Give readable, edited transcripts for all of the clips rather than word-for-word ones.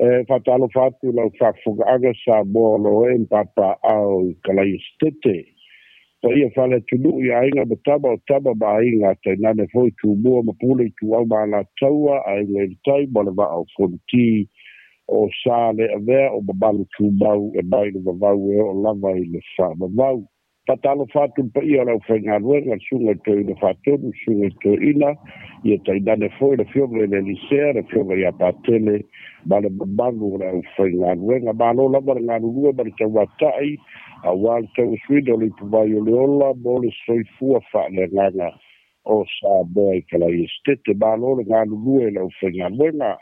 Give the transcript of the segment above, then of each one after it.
E faatalofa atu lau faafofogaaga Samoa o loo e papaao i Kalaia-setete. Paia faaleatunuu i aiga ma tama o tama ma aiga, tainane foi Tumua ma Pule, Ituau ma Alataua, Aiga i le Tai ma le Vaa o Fonoti. O sa le avea o mamalu tumau e mai le vavau e oo lava i le faavavau. Faatalofa atu le paia o le aufaigaluega, le susuga i Toeaina Faatonu, susuga i Toeaina, ia tainane foi le afioga i le Elisea, le afioga ia Patele ma le mamalu o le aufaigaluega. Malo lava le galulue ma le tauatai auā le tauasuina o le ipuvai o le ola mo le soifua faaleagaga o Samoa i Kalaia-setete. Malo le galulue i le aufaigaluega.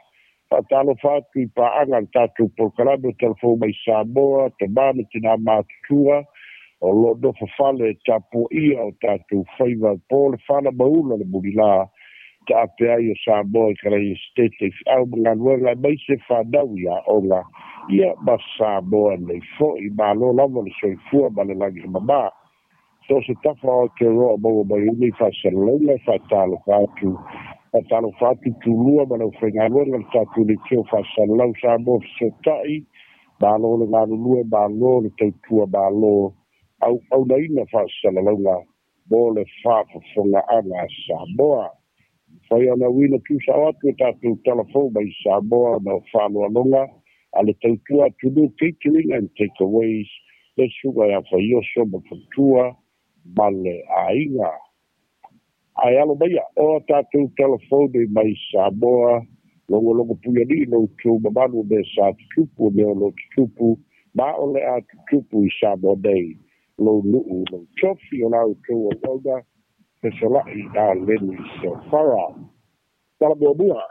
Faatalofa atu i paaga le tatou polokalame o Talafou mai Samoa, tamā ma tinā matutua o loo nofo fale e tapuaia o tatou faiva po le fala maula le mulilā taape ai o Samoa i Kalaia-setete i feau ma galuega aemaise fanau i aoga, ia ma Samoa nei fo'i. Malo lava le soifua ma le lagi e mamā. So se tafa o Aotearoa maua mai ai nei faasalalauga, faatalofa atu. Faatalofa atu Tumua ma le aufaigaluega le tatou leitio faasalalau Samoa Fesootai. Malo le galulue, malo le tautua, malo auaunaina faasalalauga mo le faafofogaaga a Samoa. Mafai ona uina tuusao atu e tatou Talafou mai Samoa ona o faaaloaloga a le tautua atunuu Catering and Takeaways, le susuga ia Faioso ma Fatua ma le aiga. Ae alo maia o tatou talafou nei mai Samoa, logologo puialii lo outou mamalu o mea sa tutupu, o mea o loo tutupu ma o le a tutupu i Samoa nei, lou nuu, lou tofi, o la outou auauna fesola'i a Leni Sofara. Tala muamua: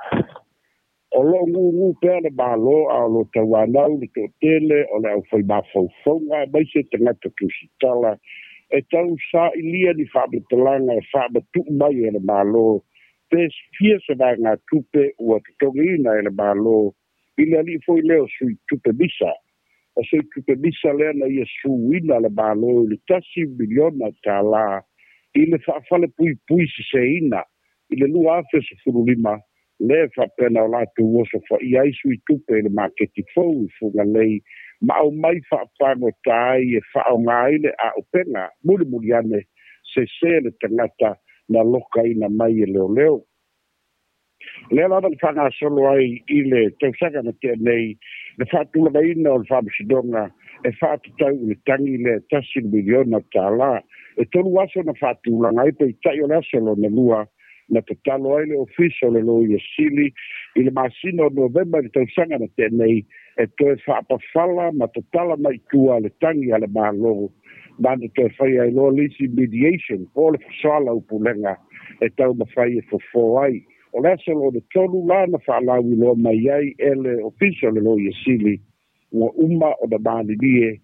o loo gugū pea le Malo a o lo tauanau le toatele o le aufai mafaufauga aemaise tagata tusitala e tausaailia ni faamatalaga e faamatuu mai e le Malo pe fia se vaegatupe ua totogiina e le Malo i le alii foi lea o sui tupe misa. O sui tupe misa lea na ia suina le Malo i le 1 miliona tālā i le faafale puipui seseina i le 2015, le faapena o latou oso faia ai sui tupe i le maketi fou i Fugalei ma aumai faapagota ai e faaaoga ai le aupega. Mulimuli ane sese le tagata na lokaina mai e leoleo. Lea lava na faagasolo ai i le tausaga na tea nei le faatulagaina o le faamasinoga e faatatau i le tagi lea 1 miliona tālā. E 3 aso na faatulaga ai, peitai o le aso lona lua na tatalo ai le Ofisa o le Loia Sili i le masina o Novema i le tausaga na tea nei e toe faapafala ma tatala mai tua le tagi a le Malo, ma na toe fai ai loa le isi mediation po o le fesoala upulega e taumafai e fofō ai. O le aso lona tolu la na faalauiloa mai ai e le Ofisa o le Loia Sili ua uma ona malilie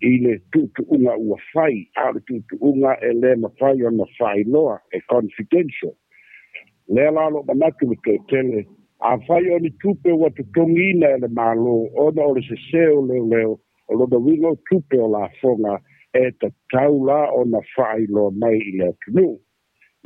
i le tuutuuga ua fai, a o le tuutuuga e lē mafai ona faailoa, e confidential. Lea la loo manatu le toatele, afai o ni tupe ua totogiina e le Malo ona o le sesē o leoleo, o lona uiga o tupe o lafoga, e tatau la ona faailoa mai i le atunuu.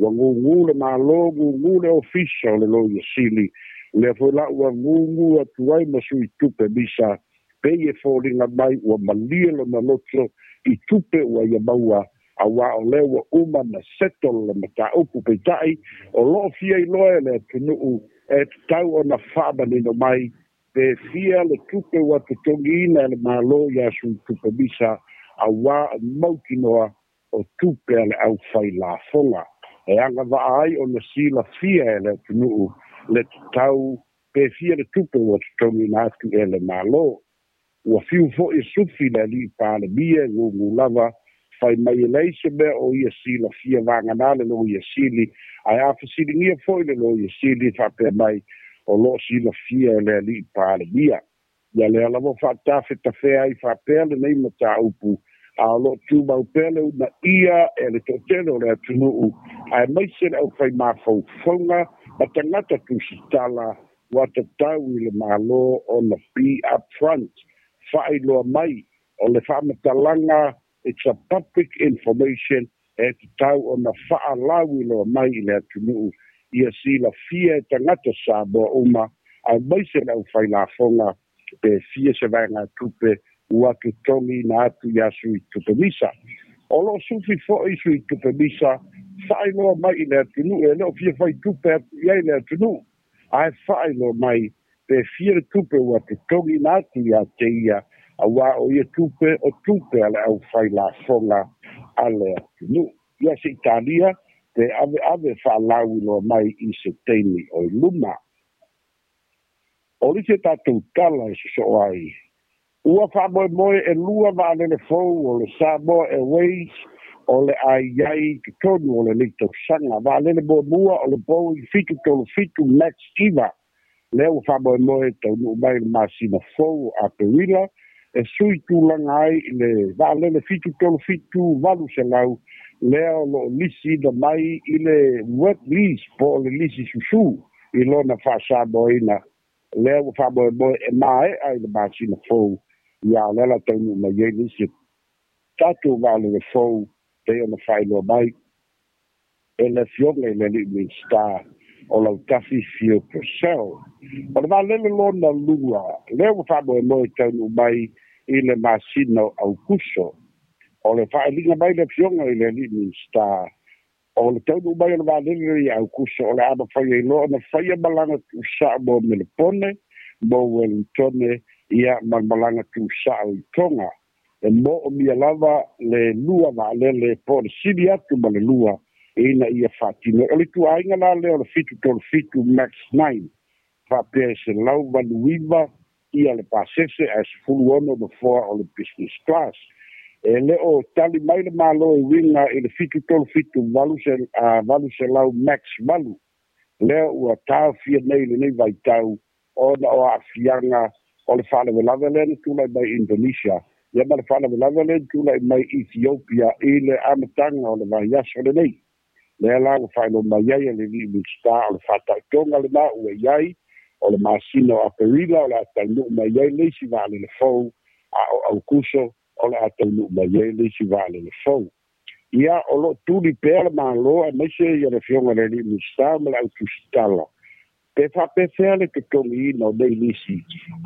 Ua gugū le Malo, gugū le Ofisa o le Loia Sili, lea foi la ua gugū atu ai ma sui tupe misa, pei e foliga mai ua malie lona loto i tupe ua ia maua auā o lea ua uma na settle le mataupu. Peitai o loo fia iloa e le atunuu, e tatau ona faamanino mai pe fia le tupe ua totogiina e le Malo iā sui tupe misa, auā o mautinoa o tupe a le aufai lafoga e agavaa ai ona silafia e le atunuu le tatau pe fia le tupe ua totogiina atu e le Malo. Ua fiu foi e sufi le alii Palemia e gugū lava, fai mai e leai se mea o ia silafia vaganā le Loia Sili, ae a fesiligia foi le Loia Sili, faapea mai o loo silafia e le alii Palemia. Ia lea lava faatafetafea ai faapea lenei mataupu, a o loo tumau pea le unaia e le toatele o le atunuu aemaise le aufai mafaufauga ma tagata tusitala ua tatau i le Malo ona be up front, faailoa mai o le faamatalaga. It's a public information e tatau ona faalauiloa mai i le atunuu ia silafia e tagata Samoa uma aemaise le aufai lafoga. Pe fia se vaegatupe ua totogiina atu iā sui tupe misa. O loo sufi fo'i sui tupe misa faailoa mai i le atunuu e le o fia fai tupe atu i ai le atunuu, ae faailoa mai pe fia le tupe ua totogiina atu iā te ia, auā o ia tupe o tupe a le aufai lafoga a le atunuu. Ia se Italia pe aveave faalauiloa mai i se taimi o i luma. O lisi tatou tala e sosoo ai, ua faamoemoe e lua vaalele fou o le Samoa Airways o le a i ai i totonu o lenei tausaga. Vaalele muamua o le Boeing 737 Max 9, lea ua faamoemoe taunuu mai le masina fou o Aperila, e sui tulaga ai i le vaalele 737-800 lea o loo lisiina mai i le wet lease po o le lisi susū i lona faasamoaina, lea ua faamoemoe e mae'a i le masina fou. Ia o lea la taunuu mai ai le isi tatou vaalele fou, pei ona faailoa mai e le Afioga i le alii Minisita o Lautafi Fio Purcell. O le vaalele lona lua lea ua faamoemoe taunuu mai i le masina o Aukuso. O le faailiga mai le Afioga i le alii Minisita, o le taunuu mai o le vaalele i Aukuso o le a mafai ai loa ona faia malaga tuusao mo Melepone, mo Wellingtone, ia ma le malaga tuusao i Toga. E moomia lava le lua vaalele po o le sili atu ma le lua ina ia faatino. O le ituaiga la lea o le 737 Max 9, faapea e 189 ia le pasese ae 16 nofoa o le business class. E le o tali mai le Malo e uiga i le 737 800 Max 8 lea ua taofia nei i lenei vaitau ona o aafiaga o le faalavelave lea na tulai mai Indonesia, ia ma le faalavelave lea na tulai mai Ethiopia i le amataga o le vaiaso lenei. Lea la ua faailoa mai ai e le alii Minisita o le faataotoga lenā ua i ai o le masina o Aperila o le a taunuu mai ai le isi vaalele fou, a o Aukuso o le a taunuu mai ai le isi vaalele fou. Ia o loo tuli pea le Malo aemaise ia le Afioga i le alii Minisita ma le autusitala pe faapefea le totogiina o nei lisi,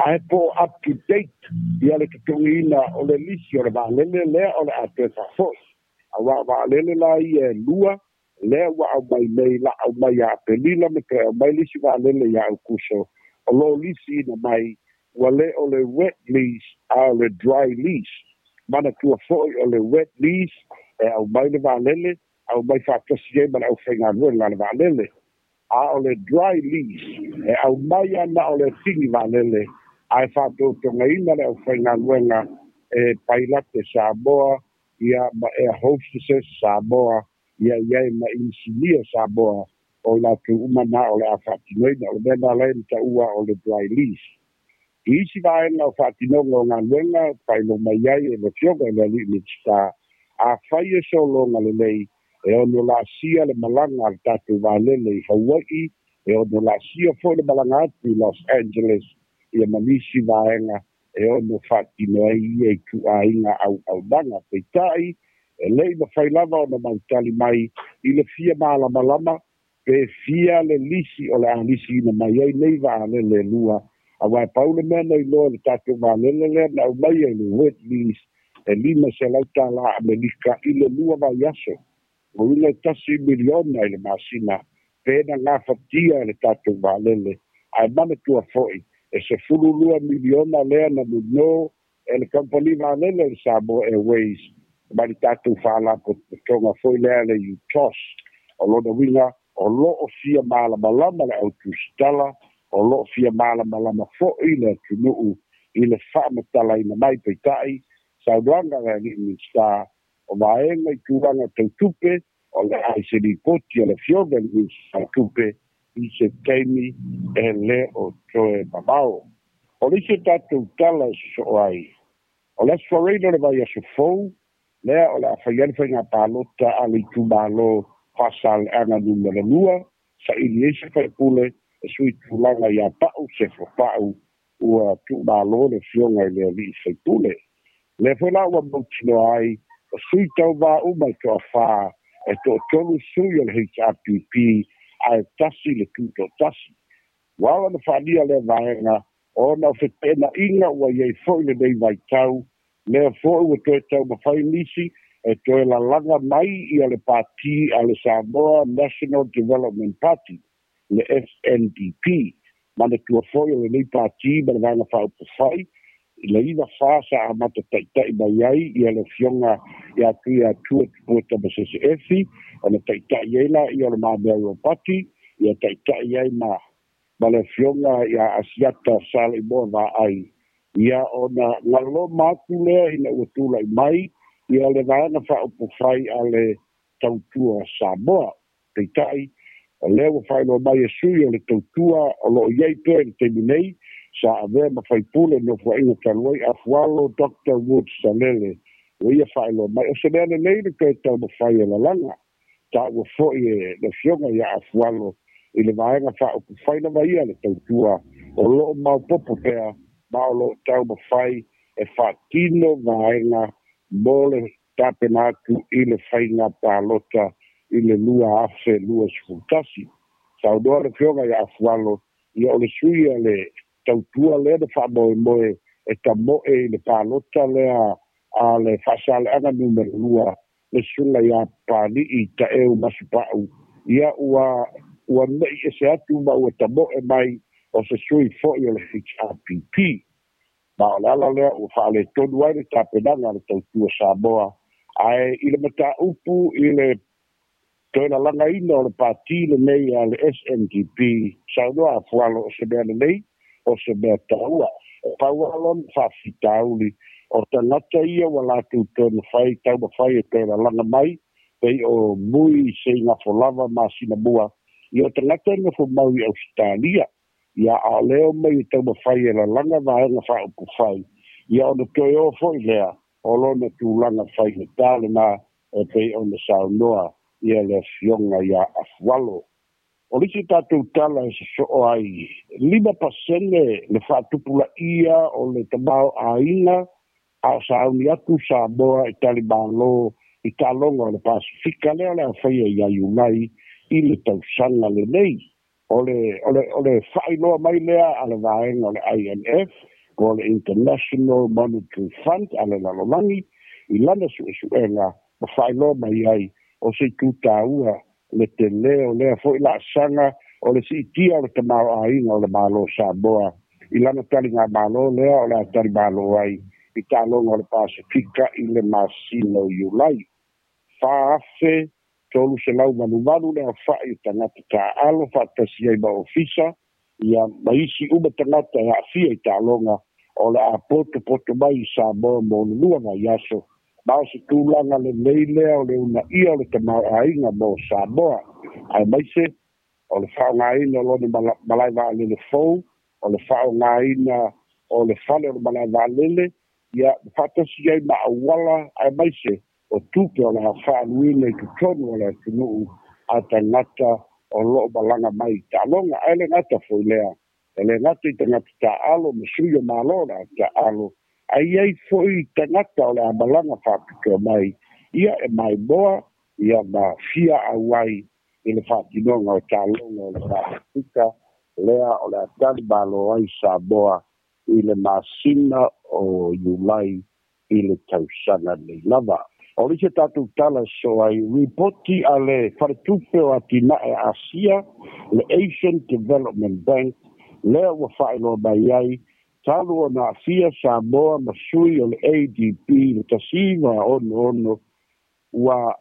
ae po o up to date ia le totogiina o le lisi o le vaalele lea o le a toe faafo'i, auā o vaalele la ia e lua lea ua aumai nei la aumai ia Apelila ma toe aumai le isi vaalele iā Aukuso, o loo lisiina mai ua lē o le wet lease a o le dry lease. Manatua fo'i o le wet lease e aumai le vaalele, aumai faatasi ai ma le aufaigaluega a le vaalele, a o le dry lease e aumai ana o le tini vaalele ae faatotogaina le aufaigaluega e pailate Samoa ia ma air hostesses Samoa ia iai ma inisinia Samoa o i latou uma na o le a faatinoina. O le mea na lae na taua o le dry lease. I isi vaega o faatinoga o galuega, faailoa mai ai e le Afioga i le alii Minisita, afai e sologa lelei e ono laasia le malaga a le tatou vaalele i Hawai'i, e ono laasia fo'i le malaga atu i Los Angeles, ia ma nisi vaega e ono faatino ai ia ituaiga auaunaga. Peitai e le'i mafai lava ona mautali mai i le fia malamalama pe fia le lisi o le a lisiina mai ai nei vaalele e lua, auā e pau le mea na iloa le tatou vaalele lea na aumaia i le wet lease e 500 tālā Amerika i le 2 vaiaso, o uiga e $1 miliona i le masina pe na gafatia e le tatou vaalele. Ae manatua fo'i e 12 miliona lea na nonō e le kamupani vaalele le Samoa Airways ma le tatou faalapotopotoga foi lea le UTOS. O lona uiga o loo fia malamalama le autusitala, o loo fia malamalama fo'i le atunuu i le faamatalaina mai. Peitai saunoaga le alii Minisita o vaega i tulaga tautupe o le a i se lipoti a le Afioga i le Minisita o Tupe i se taimi e lē o toe mamao. O le isi tatou tala e sosoo ai, o le Aso Faraile o le vaiaso fou lea o le a faia le faiga palota a le itumalo Faasaleaga Nu.2, saili ai se faipule e sui tulaga iā Pa'u Sefo Pa'u ua tuumalo le Afioga i le alii faipule. Lea foi la ua mautinoa ai o sui tauvā uma e toafā, e toatolu sui o le HRPP ae tasi le tutoatasi. Ua ala ona faalia lea vaega Ona o feteenaiga ua iai fo'i lenei vaitau lea fo'i ua toe taumafai nisi e toe lalaga mai ia le pati a le Samoa National Development Party, le SNDP. Manatua fo'i o lenei pati ma le vaega faaupufai i le 94 sa amata ta'ita'i mai ai ia le afioga ia Tuiatua Tupua Tamasese Efi, ona ta'ita'i ai laia o le Mamea Ropati, ia ta'ita'i ai ma le afioga ia Asiata Saleimoa Vaai, ia ona galoma atu lea ina ua tula'i mai ia le vaega faaupufai a le Tautua Samoa. Peita'i o lea ua faailoa mai e sui o le Tautua o loo i ai pea i le taimi nei sa avea ma faipule nofoaʻiga talu ai, Afualo Dr Wood Salele, ua ia faailoa mai o se mea lelei le toe taumafai e lalaga taua fo'i e le afioga ia Afualo i le vaega faaupufai lava ia le Tautua o loo maopopo pea ma o loo taumafai e faatino vaega mo le tapena atu i le faiga palota i le 2021. Saunoa le afioga ia Afualo ia o le sui a le Tautua lea na faamoemoe e tamo'e i le palota lea a le Faasaleaga Nu.2, le susuga iā Papali'i Taʻeu Masupa'u, ia ua ne'i ese atu ma ua tamo'e mai o se sui fo'i o le HRPP. Ma o le ala lea ua faaletonu ai le tapenaga a le Tautua Samoa. Ae i le mataupu i le toe lalagaina o le pati lenei a le SNDP, saunoa Afualo o se mea lelei, o se mea taua. E pau lona faafitauli o tagata ia ua latou toe mafai taumafai e toe lalaga mai pei o Mui Seigafo lava masina mua ia o tagata e nofo mau i Ausetalia, ia a o lea o mai e taumafai e lalaga vaega faaupufai, ia ona toe o fo'i lea o lona tulaga faigatā lenā e pei ona saunoa ia le afioga iā Afualo. O le isi tatou tala e sosoo ai, 5% le faatupulaia o le tamaoaiga a o sauni atu Samoa i talimalo i taaloga o le Pasifika lea o le a faia ia Iulai i le tausaga lenei. O le faailoa mai lea a le vaega o le IMF po o le International Monetary Fund a le lalolagi i lana suesuega ma faailoa mai ai o se itu taua le telē o lea fo'i laasaga o le siitia o le tamaoaiga o le Malo Samoa i lana taligamalo lea o le a talimalo ai i taaloga o le Pasifika i le masina o Iulai. 4,388 le aofa'i o tagata taaalo faatasi ai ma ofisa ia ma isi uma tagata e aafia i taaloga o le a potopoto mai i Samoa mo le 2 vaiaso, ma o se tulaga lelei lea o le unaia o le tamaoaiga mo Samoa, aemaise o le faaaogaina o lona malae vaalele fou, o le faaaogaina o le fale o le malae vaalele ia faatasi ai ma auala, aemaise o tupe o le a faaluina i totonu o le atunuu a tagata o loo malaga mai i taaloga. Ae le gata foi lea, e le gata i tagata taaalo ma sui o malo o le a taaalo, ae iai foi tagata o le a malaga faapitoa mai ia e maimoa ia ma fia auai i le faatinoga o taaloga o le Pasifika lea o le a talimalo ai Samoa i le masina o Iulai i le tausaga nei lava. O le isi tatou tala so ai, ripoti a le Faletupe o Atinae Asia, le Asian Development Bank, lea ua faailoa mai ai talu ona aafia Samoa ma sui o le ADB le 1966, ua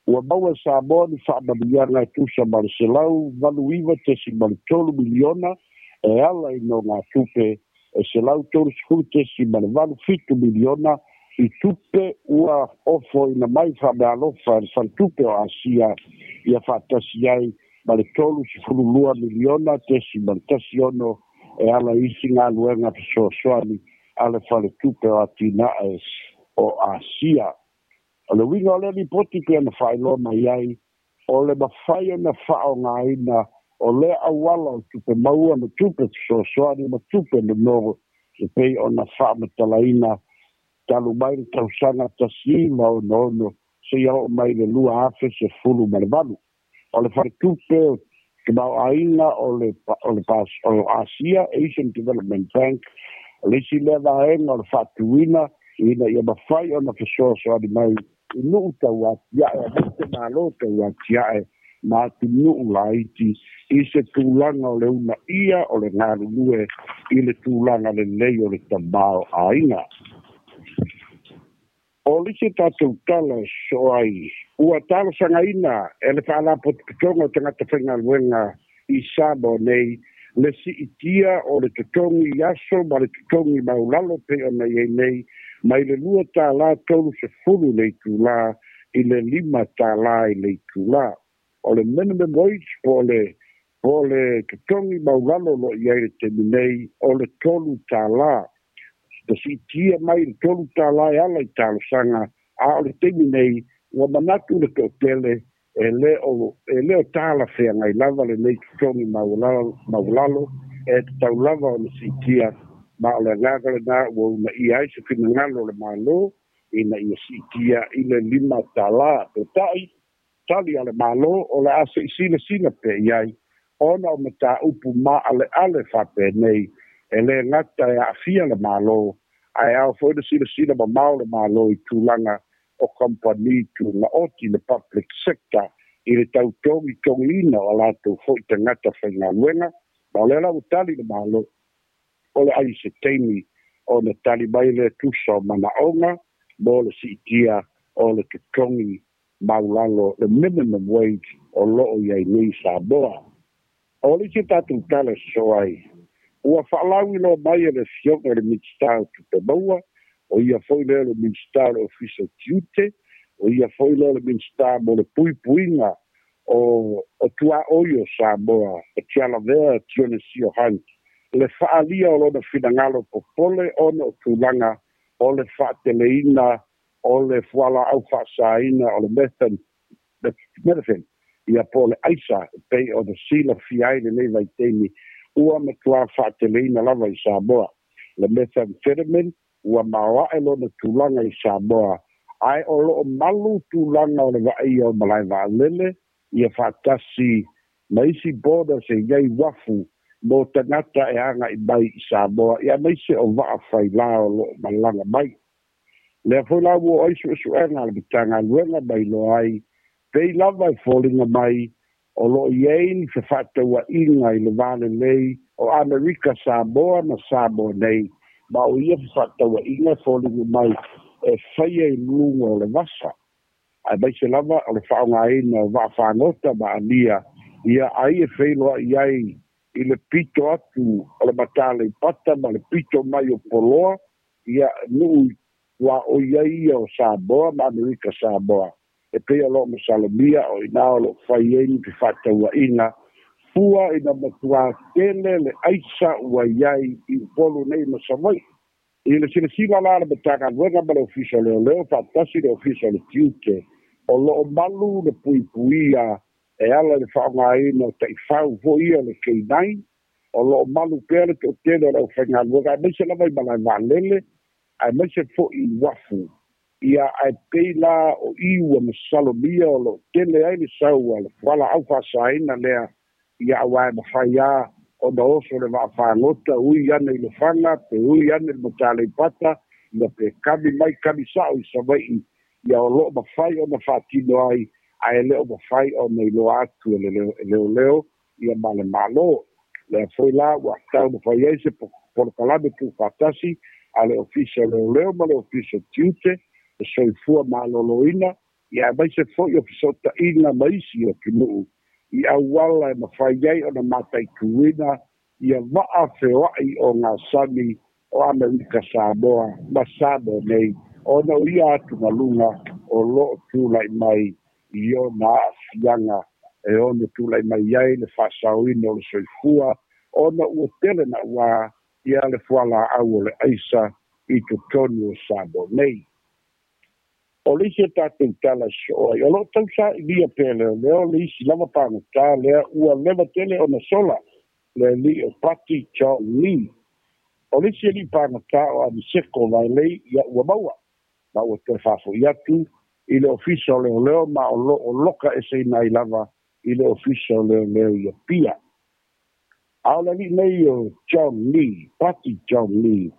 maua e Samoa ni faamanuiaga e tusa ma le $189.3 miliona e ala i nogatupe e $130.87 miliona i tupe ua ofoina mai faameaalofa e le Faletupe o Asia, ia faatasi ai ma le $32.16 miliona e ala isi galuega fesoasoani a le Faletupe o Atinae o Asia. O le uiga o lea lipoti pei ona faailoa mai ai, o le mafai ona faaaogaina o lea auala o tupe maua ma tupe fesoasoani ma tupe nono e pei ona faamatalaina talu mai le tausaga 1966 seia oo mai le 2018. O le Faletupe o Tamaoaiga o le o Asia, Asian Development Bank, o le isi lea vaega o le faatuina ina ia mafai ona fesoasoani mai i nuu tauatiae aemaise malo tauatiae ma atunuu laiti i se tulaga o le uunaia o le galulue i le tulaga lelei o le tamaoaiga. O le isi tatou tala e sosoo ai, ua talosagaina e le Faalapotopotoga o Tagata Faigaluega i Samoa nei le siitia o le totogi i aso ma le totogi maulalo pei ona i ai nei, mai le $2.30 le itulā i le $5 i le itulā. O le minimum wage po o le totogi maulalo o loo i ai le taimi nei o le $3. Na siitia mai le $3 e ala i talosaga, a o le taimi nei ua manatu le toatele e le o talafeagai lava lenei totogi maualalo, e tatau lava ona siitia. Ma o le agaga lena ua uunaia ai se finagalo o le Malo ina ia siitia i le $5. Peitai, tali a le Malo, o le a se'i silasila pea i ai, ona o mataupu maaleale faapenei e lē gata e aafia le Malo, ae ao foi le silasila mamao le Malo i tulaga o kamupani tugaoti, le public sector, i le tautogitogiina o a latou fo'i tagata faigaluega. Ma o lea la ua tali le Malo, o le ai se taimi ona tali mai le tusa o manaoga mo le siitia o le totogi maulalo, le minimum wage o loo i ai nei Samoa. O le isi tatou tala sosoo ai, ua faalauiloa mai e le Afioga i le Minisita o Tupe Maua, o ia foi lea le Minisita o le Ofisa o Tiute, o ia foi lea le Minisita mo le Puipuiga o Tuaoi o Samoa, o Tialavea Tionisio Hunt, le faaalia o lona finagalo popole ona o tulaga o le faateleina o le fualaau faasaina o le methane, ia po o le aisa, e pei ona silafia ai lenei vaitaimi ua matuā faateleina lava i Samoa. Le methamphetamine ua maoae lona tulaga i Samoa, ae o loo malu tulaga o le vaaia o malae vaalele ia faatasi ma isi borders e iai uafu mo tagata e aga'i mai i Samoa, ia aemaise o vaa failā o loo malaga mai. Lea foi la ua ai suesuega a le Matagaluega mai iloa ai, pei lava e foliga mai o loo i ai ni fefaataua'iga i le valelei o Amerika Samoa ma Samoa nei, ma o ia fefaataua'iga e foliga mai e faia i luga o le vasa, aemaise lava o le faaaogāina o vaafagota ma alia ia ai e feiloa'i ai i le pito atu o le Mataleipata ma le pito mai o Poloa, ia nuu tuaoi ai ia o Samoa ma Amerika Samoa. E pei o loo masalomia o inā o loo fai ai ni fefaataua'iga fua ina matuā tele le aisa ua iai i Upolu nei ma Savai'i. I le silasila la le Matagaluega ma le Ofisa o Leoleo faatasi le Ofisa o le Tiute, o loo malu le puipuia e ala i le faaaogāina o taifau foi ia le K9. O loo malu pea le toatele o le aufaigaluega, aemaise lava i malae vaalele, aemaise fo'i i uafu ia, ae pei la o i ua masalomia o loo tele ai le sau a le fualaau faasaina lea ia, auā e mafai a ona oso le vaafagota ui ane i Lefaga pe ui ane le Mataleipata ia pe kami mai kami sa'o i Savai'i ia, o loo mafai ona faatino ai, ae le o mafai ona iloa atu e le leoleo ia ma le Malo. Lea foi la ua taumafai ai se polokalame tuufaatasi a le Ofisa o Leoleo ma le Ofisa o Tiute, le Soifua Maloloina ia, aemaise foi o feso'ota'iga ma isi atunuu i auala e mafai ai ona mataituina ia vaa feoa'i o gasami o Amerika Samoa ma Samoa nei, ona o ia atugaluga o loo tula'i mai i ona aafiaga e ono tula'i mai ai le faasaoina o le soifua, ona ua tele na'uā ia le fualaau o le aisa i totonu o Samoa nei. O le isi e tatou tala sosoo ai, o loo tausa'ilia pea leoleo le isi lava pagotā lea ua leva tele ona sola, le alii o Pati John Lee. O le isi alii pagotā o Amiseko Vailei ia ua maua ma ua toe faafo'i atu i le Ofisa o Leoleo, ma o loo loka eseina ai lava i le Ofisa o Leoleo i Apia. A o le ali'i nei o John Lee, Pati John Lee,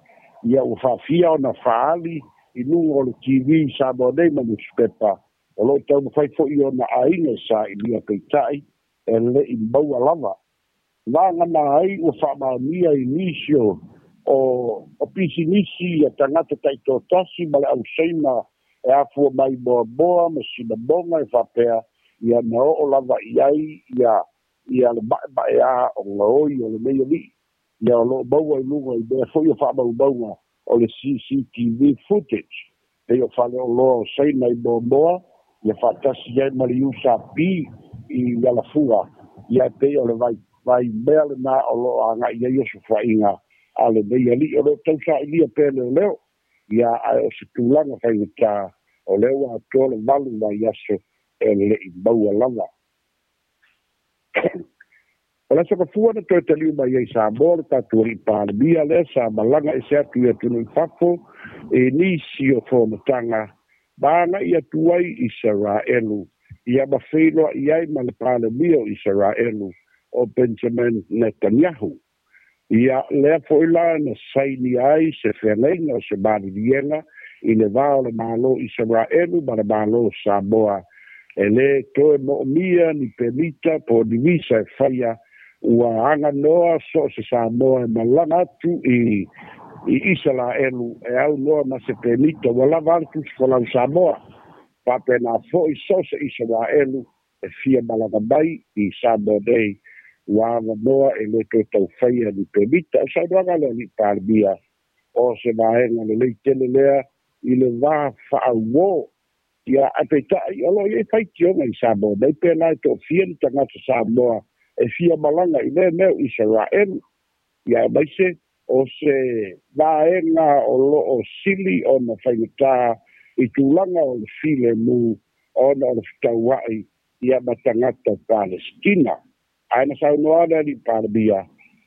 ia ua faafia ona faaali i luga o le TV i Samoa nei ma nusipepa, o loo taumafai fo'i ona aiga e sailia, peita'i e le'i maua lava. Vagana ai ua faamaonia i nisi o pisinisi ia tagata ta'itotasi ma le auseina e afua mai moamoa ma sinamoga e faapea ia na oo lava i ai ia le ma'ema'eā o gaoi o lenei ali'i. Ia o loo maua i luga i mea fo'i o faamaumauga o le CCTV footage, pei o faleoloa o Saina i Moamoa ia faatasi ai ma le USP i Alafua. Ia e pei o le vai mea lenā o loo aga'i ai osofa'iga a lenei ali'i o loo tausailia pea leoleo. Ia ae o se tulaga faigatā o lea ua atoa le 8 vaiaso e le'i maua lava. O le aso Gafua na toe taliu mai ai Samoa le tatou ali'i Palemia lea sa malaga ese atu i atunuu i fafo i nisi o fonotaga ma aga'i atu ai Isaraelu, ia ma feiloa'i ai ma le Palemia o Isaraelu o Benjamin Netanyahu. Ia lea fo'i la na sainia ai se feagaiga o se maliliega i le va o le Malo Isaraelu ma le Malo o Samoa, e lē toe mo'omia ni pemita po o ni visa e faia, ua aganoa so o se Samoa e malaga atu i Isalaelu e au noa ma se pemita ua lava a le tusi folau Samoa. Faapena fo'i so o se Isaraelu e fia malaga mai i Samoa nei ua avanoa, e lē toe taufaia ni pemita. O saunoaga le ali'i Palemia, o se vaega lelei tele lea i le va fa'auō. Ia ae peita'i o loo iai faitioga i Samoa nei pe la e to'afia ni tagata Samoa e fia malaga i lea mea o Isaraelu. Ia maise o se vaega o loo sili ona faigatā i tulaga o le filemu ona o le fetaua'i ia ma tagata Palestina. Ae na saunoa le ali'i Palemia,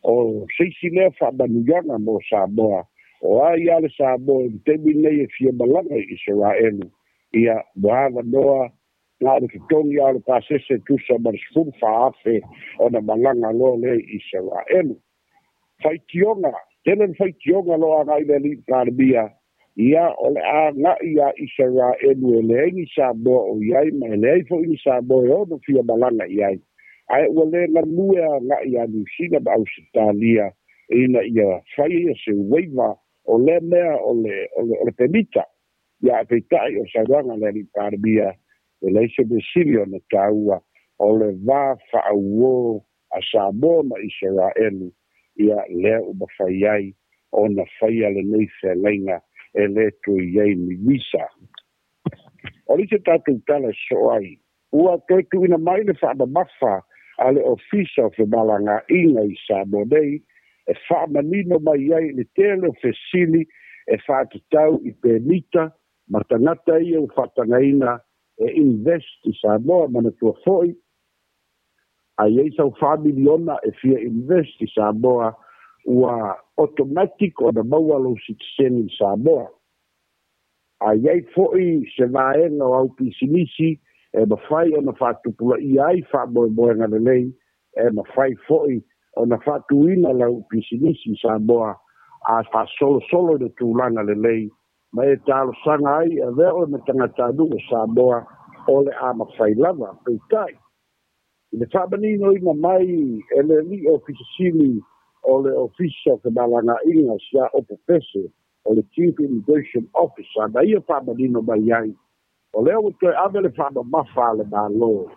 o seisi lea faamanuiaga mo Samoa, o ai a le Samoa i le taimi nei e fia malaga i Isaraelu, ia ua avanoa, na o le totogi a o le pasese tusa ma le 14,000 ona malaga loa lea i Isaraelu. Faitioga tele le faitioga loa agai le ali'i Palemia, ia o le aga'i ia Isaraelu e leai ni Samoa o iai ma e leai fo'i ni Samoa e ono fia malaga i ai, ae ua lē galue aga'i ia Niusina ma Ausetalia ina ia faia ia se waiver o lea mea o le pemita. Ia ae peita'i o saunoaga le ali'i Palemia, e leai se mesili ona taua o le va fa'auō a Samoa ma Isaraelu. Ia lea ua mafai ai ona faia lenei feagaiga e lē toe iai ni visa. O le isi tatou tala e so'o ai, ua toe tu'uina mai le fa'amamafa a le Ofisa o Femalaga'iga i Samoa nei e fa'amanino mai ai le tele o fesili e fa'atatau i pemita ma tagata ia ua fa'atagaina e invest i Samoa. Manatua fo'i, a iai sau 4 miliona e fia invest i Samoa, ua automatic ona maua lou sitiseni i Samoa. A iai fo'i se vaega o au pisinisi e mafai ona fa'atupulaia ai fa'amoemoega lelei, e mafai fo'i ona fa'atuina lau pisinisi i Samoa a fa'asolosolo i le tulaga lelei ma e talosaga ai avea oe ma tagatanuu o Samoa, o le a mafai lava. Peita'i i le fa'amaninoina mai e le ali'i ofisa sili o le Ofisa o Femalaga'iga sia opo pese o le Chief Immigration Officer, na ia fa'amanino mai ai o lea ua toe ave le fa'amamafa a le Malo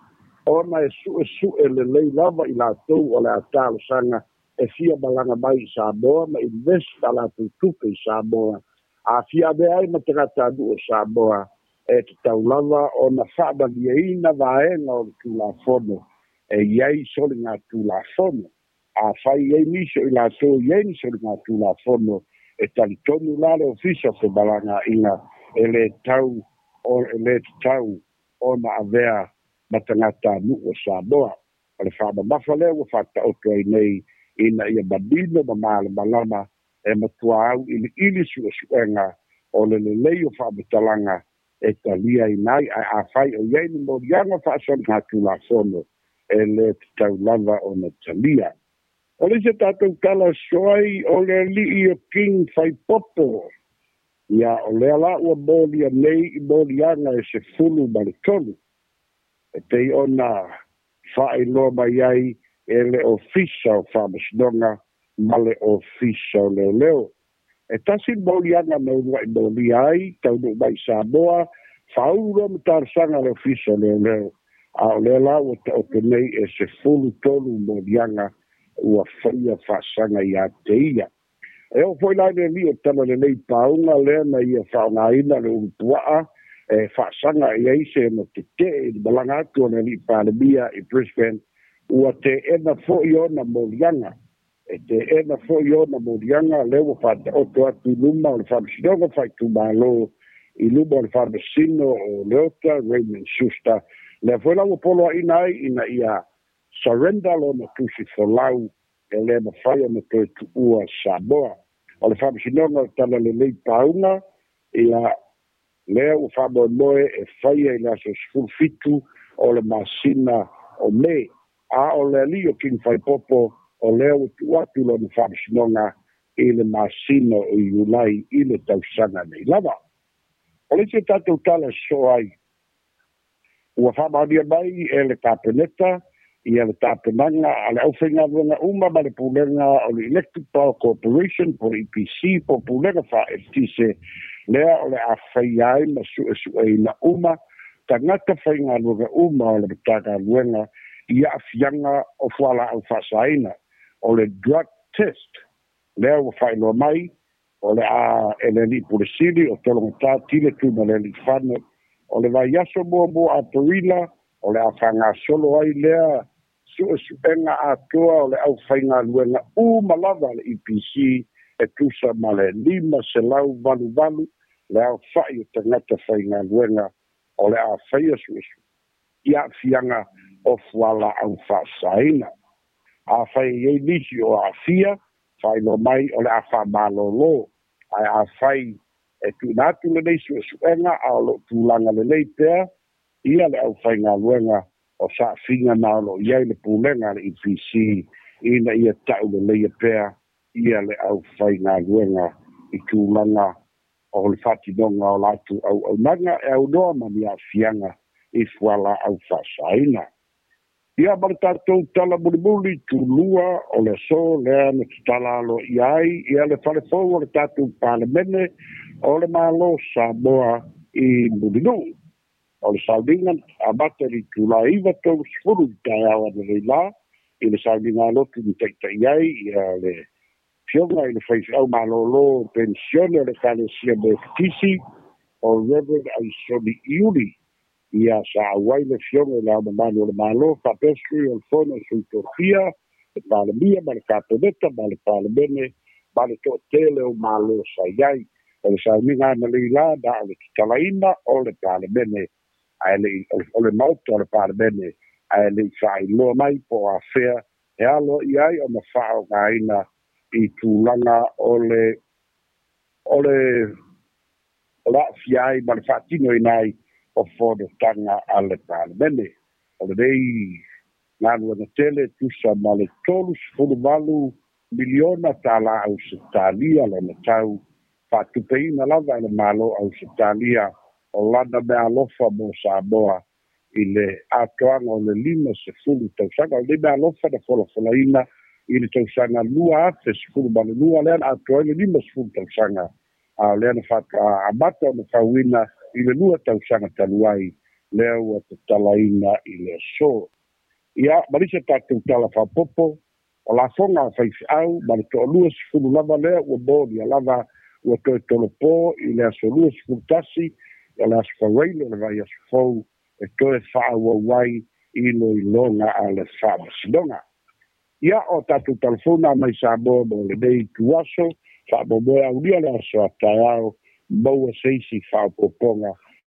ona e su'esu'e lelei lava i latou o le a talosaga e fia malaga mai i Samoa ma invest a latou tupe i Samoa a fia avea ai ma tagatanuu o Samoa, e tatau lava ona fa'amalieina vaega o le Tulafono e iai soliga tulafono. Afai ai nisi o i latou iai ni soliga tulafono, e talitonu la le Ofisa o Femalaga'iga e lē tau o e lē tatau ona avea ma tagatanuu o Samoa. O le fa'amamafa lea ua fa'ata'oto ai nei ina ia manino ma malamalama e matua au iliili su'esu'ega o le lelei o fa'amatalaga e talia ina ai, ae afai o iai ni moliaga fa'asoliga tulafono, e lē tatau lava ona talia. O le isi tatou tala soai o le alii o King Faipopo. Ia o lea la ua molia nei i moliaga e 13 e pei ona faailoa mai ai e le Ofisa o Faamasinoga ma le Ofisa o Leoleo. E tasi le moliaga na uluai molia ai taunuu mai Samoa, faaulu loa ma talosaga le Ofisa o Leoleo, a o lea la ua taoto nei e 13 moliaga ua faia faasaga iā te ia. E oo foi la i le alii o Talalelei Pauga lea na ia faaaogaina le ulupuaa e faasaga i ai se ona tetee i le malaga atu o le alii Palemia i Brisbane, ua teena foi ona moliaga. E teena foi ona moliaga lea ua faataoto atu i luma o le Faamasinoga Faaitumalo i luma o le Faamasino o Leota Raymond Schuster, lea foi la ua poloaina ai ina ia surrender lona tusi folau e lē mafai ona toe tuua Samoa. O le Faamasinoga o Talalelei Pauga, ia lea ua faamoemoe e faia i le aso 17 o le masina o Me, a o le alii o King Faipopo o lea ua tuu atu lona faamasinoga i le masina o Iulai i le tausaga nei lava. O le isi o tatou tala sosoo ai, ua faamaonia mai e le Kapeneta ia le tapenaga a le aufaigaluega uma ma le pulega o le Electric Power Corporation po le EPC po pulega faaeletise, lea o le a faia ai ma suesueina uma tagata faigaluega uma o le Matagaluega i aafiaga o fualaau faasaina, o le drug test. Lea ua faailoa mai o le a e le alii pule sili o Tologatā Tile Tuimalealiifano, o le vaiaso muamua Aperila o le a faagasolo ai lea suesuega atoa o le aufaigaluega uma lava le EPC e tusa ma le 588 le aofa'i o tagata faigaluega o le a faia suesue i aafiaga o fualaau faasaina. Afai e iai nisi o aafia, faailoa mai o le a faamalōlō, ae afai e tuuina atu lenei suesuega a o loo tulaga lelei pea ia le aufaigaluega, o saafiga na o loo i ai le pulega a le EPC ina ia ta'uleleia pea ia le aufaigaluega i tulaga o le faatinoga o latou auaunaga e aunoa ma ni aafiaga i fualaau faasaina. Ia ma le tatou tala mulimuli tulua o le aso lea na tatala aloaia ai ia le falefou o le tatou Palemene o le Malo Samoa i Mulinuu. O le sauniga amata i le itulā 9:30 i taeao analeila i le sauniga alotu na taita'i ai ia le Afioga i le faifeau malōlō penisione o le Ekalesia Metotisi o Reverend Aisoni Iuli. Ia sa auai le Afioga i le Ao Mamalu o le Malo faapea Sui o le Fono o Sui Tofia, le Palemia ma le Kapeneta ma le Palemene ma le toatele o malo sa i ai. O le sauniga analeila na o le tatalaina o le Palemene ae le'i o le Maota o le Palemene, ae le'i faailoa mai po o afea e alo i ai ona faaaogaina i tulaga o le o le o le aafia ai ma le faatinoina ai o fonotaga a le Palemene. O lenei galuega tele tusa ma le 38 miliona tālā Ausetalia lona tau, faatupeina lava e le Malo Ausetalia o lana meaalofa mo Samoa i le atoaga o le 50 tausaga. O lenei meaalofa na folafolaina i le tausaga 2012, lea na atoa ai le 50 tausaga, a o lea na faatoa amata ona fauina i le 2 tausaga talu ai, lea ua tatalaina i le aso. Ia ma lisi tatou tala faapopo, o lafoga a faifeau ma le 20 lava lea ua molia lava ua toe tolopō i le aso 21 o le aso Faraile o le vaiaso fou e toe faaauau ai iloiloga a le Faamasinoga. Ia o tatou talafona mai Samoa mo lenei ituaso, faamoemoe aulia le aso a taeao maua se isi faaopoopoga.